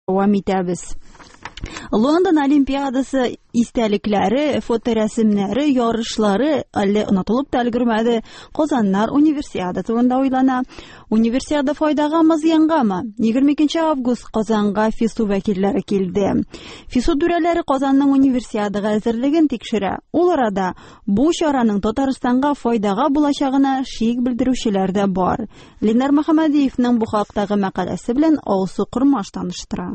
Дәвам итәбез. Лондон Олимпиадасы истәлекләре, фоторәсемнәре, ярышлары әле онытылып та өлгермәде. Казаннар Универсиада турында уйлана. Универсиада файдагамы, зыянгамы? 22 август Казанга ФИСУ вәкилләре килде. ФИСУ түрәләре Казанның Универсиадага әзерлеген тикшерә. Ул арада бу чараның Татарстанга файдага булачагына шик белдерүчеләр дә бар. Ленар Мөхәммәдиевның бу хактагы мәкаләсе белән Алсу Кормаш таныштыра.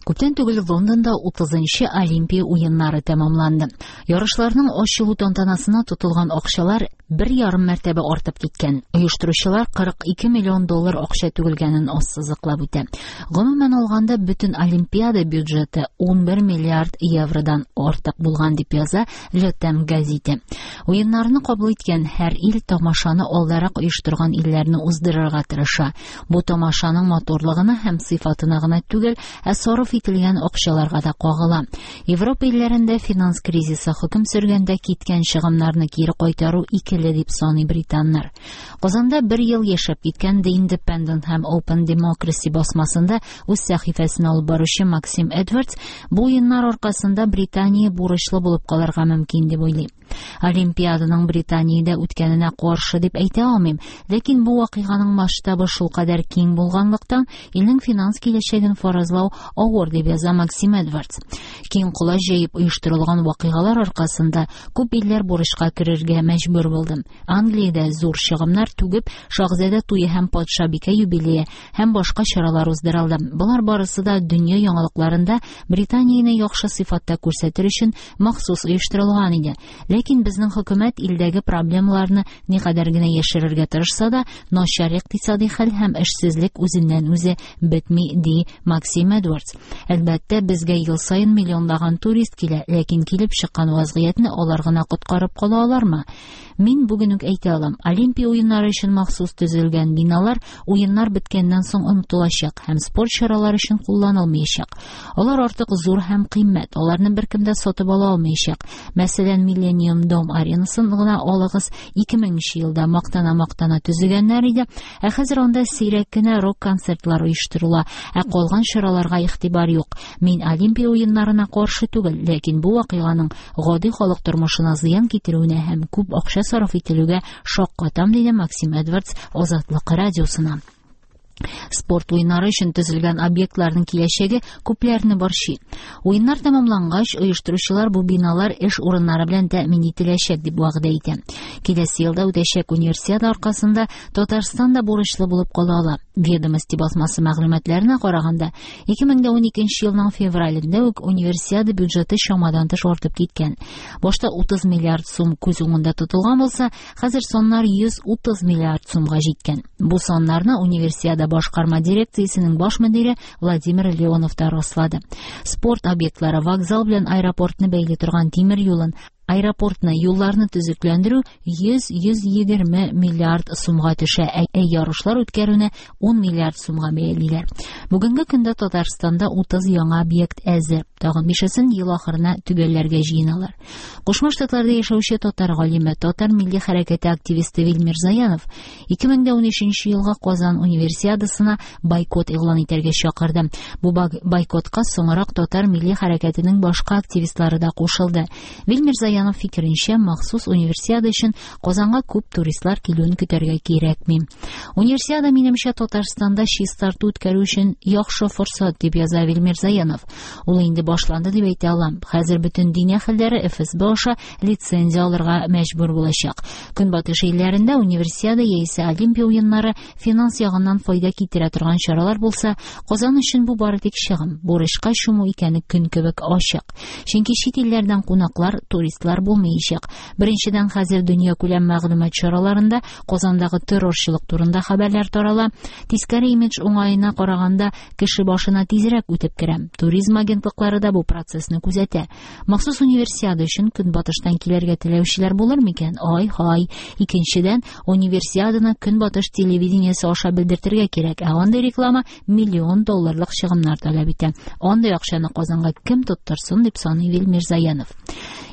Күптән түгел Лондонда 30-нчы Олимпия уеннары тәмамланды. Ярышларның ачылу тантанасына тотылган акчалар бер ярым мәртәбә артып киткән. Оештыручылар 42 миллион доллар акча түгелгәнен ассызыклап үтә. Гомумән алганда, бөтен Олимпиада бюджеты 11 миллиард евродан артык булган, дип яза Le Temps гәзите. Уеннарны кабул иткән һәр ил тамашаны алдарак оештырган илләрне уздырырга тырыша. Бу тамашаның матурлыгына һәм сыйфатына гына түгел, ә сарыф ителгән акчаларга да кагыла. Европа илләрендә финанс кризисы хөкем сөргәндә киткән чыгымнарны кире кайтару икеле дип саный британнар. Казанда бер ел яшәп киткән The Independent һәм Open Democracy басмасында үз сәхифәсен алып баручы Максим Эдвардс бу уеннар аркасында Британия бурычлы булып калырга мөмкин дип уйлый. Олимпиаданың Британиядә үткәненә каршы дип әйтә алмыйм, ләкин бу вакыйганың масштабы шулкадәр киң булганлыктан, илнең финанс киләчәген фаразлау авыр, дип яза Максим Эдвардс. Киң колач җәеп оештырылган вакыйгалар аркасында күп илләр бурычка керергә мәҗбүр булды. Англиядә зур чыгымнар түгеп, шаһзадә туе һәм патшабикә юбилее һәм башка чаралар уздырылды. Болар барысы да дөнья яңалыкларында Британияне яхшы сыйфатта күрсәтер өчен махсус оештырылган иде. Ләкин безнең хөкүмәт илдәге проблемаларны никадәр генә яшерергә тырышса да, начар икътисади хәл һәм эшсезлек үзеннән үзе бетми, ди Максим Эдвардс. Әлбәттә, безгә ел саен миллионлаган турист килә, ләкин килеп чыккан вазгыятьне алар гына коткарып кала алармы? Мин бүген үк әйтә алам, Олимпия уеннары өчен махсус төзелгән биналар уеннар беткәннән соң онытылачак һәм спорт чаралары өчен кулланылмаячак. Алар артык зур һәм кыйммәт, аларны беркем дә сатып ала алмаячак. Мәсәлән, Millennium Dome аренасын гына алыгыз, 2000 елда мактана-мактана төзегәннәр иде, ә хәзер анда сирәк кенә рок-концертлар оештырыла, ә калган чараларга игътибар юк. Мин Олимпия уеннарына каршы түгел, ләкин бу вакыйганың гади халык тормышына зыян китерүенә һәм күп акча сарыф ителүгә шаккатам, диде Максим Эдвардс Азатлык радиосына. Спорт уеннары өчен төзелгән объектларның киләчәге күпләрне борчый. Уеннар тәмамлангач, оештыручылар бу биналар эш урыннары белән тәэмин ителәчәк дип вәгъдә итә. Киләсе елда үтәчәк универсиада аркасында Татарстан да бурычлы булып кала ала. Ведомости басмасы мәгълүматларына караганда, 2012 елның февралендә үк универсиада бюджеты чамадан тыш артып киткән. Башта 30 миллиард сум күз уңында тотылган булса, хәзер саннар 130 миллиард сумга җиткән. Бу саннарны универсиада башкарма дирекциясенең баш мөдире Владимир Леонов та раслады. Спорт объектлары, вокзал белән аэропортны бәйли торган тимер юлын, аэропортны, юлларны төзекләндерү 100-120 миллиард сумга төшә, ә ярышлар үткәрүне 10 миллиард сумга бәялиләр. Бүгенге көндә Татарстанда 30 яңа объект әзер. Тагын бишесен ел ахырына төгәлләргә җыеналар. Кушма Штатларда яшәүче татар галиме, татар милли хәрәкәте активисты Вил Мирзаянов 2013 елга Казан универсиадасына бойкот игълан итәргә чакырды. Бу бойкотка соңрак татар милли хәрәкәтенең башка активистлары да кушылды. Вил Мирзаянов фикеренчә, махсус универсиада өчен Казанга күп туристлар килүен көтәргә кирәкми. Универсиада минемчә Татарстанда чистарту үткәрү өчен яхшы форсат, дип яза Вил Мирзаянов. Ул инде башланды дип әйтә алам. Хәзер бөтен дин әһелләре ФСБ аша лицензия алырга мәҗбүр булачак. Көнбатыш илләрендә универсиада яисә Олимпия уеннары финанс ягыннан файда китерә торган чаралар булса, Казан өчен бу бары тик чыгым, бурычка чуму икәне көн кебек ачык. Чөнки чит илләрдән кунаклар, туристлар булмаячак. Беренчедән, хәзер дөньякүләм мәгълүмат чараларында Казандагы террорчылык турында хәбәрләр тарала. Тискәре имидж уңаена караганда кеше башына тизрәк үтеп керә. Туризм агентлыклары да бу процессны күзәтә. Махсус универсиада өчен көнбатыштан килергә теләүчеләр булыр микән? Ай-һай. Икенчедән, универсиаданы көнбатыш телевидениесе аша белдертергә кирәк. Ә андый реклама миллион долларлык чыгымнар таләп итә. Андый акчаны Казанга кем тоттырсын, дип саный Вил Мирзаянов.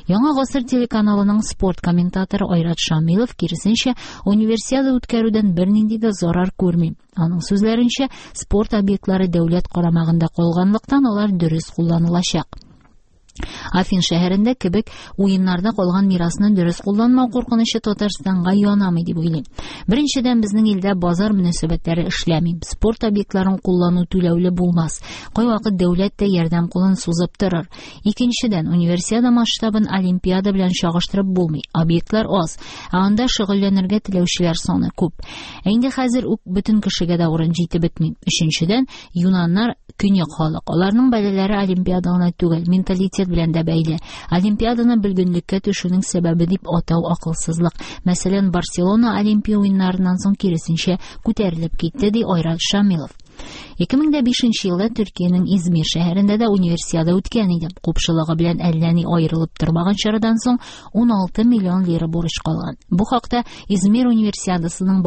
Яңа гасыр телеканалының спорт комментаторы Айрат Шамилов, киресенчә, Универсиада үткәрүдән бернинди дә зарар күрми. Аның сүзләренчә, спорт объектлары дәүләт карамагында калганлыктан, алар дөрес кулланылачак. Афин шәһәрендә кебек уеннарда калган мирасны дөрес кулланмау куркынычы Татарстанга янамый дип уйлыйм. Беренчедән, безнең илдә базар мөнәсәбәтләре эшләми. Спорт объектларын куллану түләүле булмас. Кайвакыт дәүләт тә ярдәм кулын сузып торыр. Икенчедән, Универсиада масштабын Олимпиада белән чагыштырып булмый. Объектлар аз, ә анда шөгыльләнергә теләүчеләр саны күп. Ә инде хәзер үк бөтен кешегә дә урын җитеп бетми. Өченчедән, юнаннар көньяк халык. Аларның бәлаләре Олимпиада гына түгел, менталитет белән дә бәйле. Олимпиаданы бөлгенлеккә төшүнең сәбәбе дип атау акылсызлык. Мәсәлән, Барселона Олимпия уеннарыннан соң киресенчә күтәрелеп китте, ди Айрат Шамилов. 2005 нче елда Төркиянең Измир шәһәрендә дә Универсиада үткән иде. Купшылыгы белән әллә ни аерылып тормаган чарадан соң 16 миллион лира бурыч калган. Бу хакта Измир Универсиадасының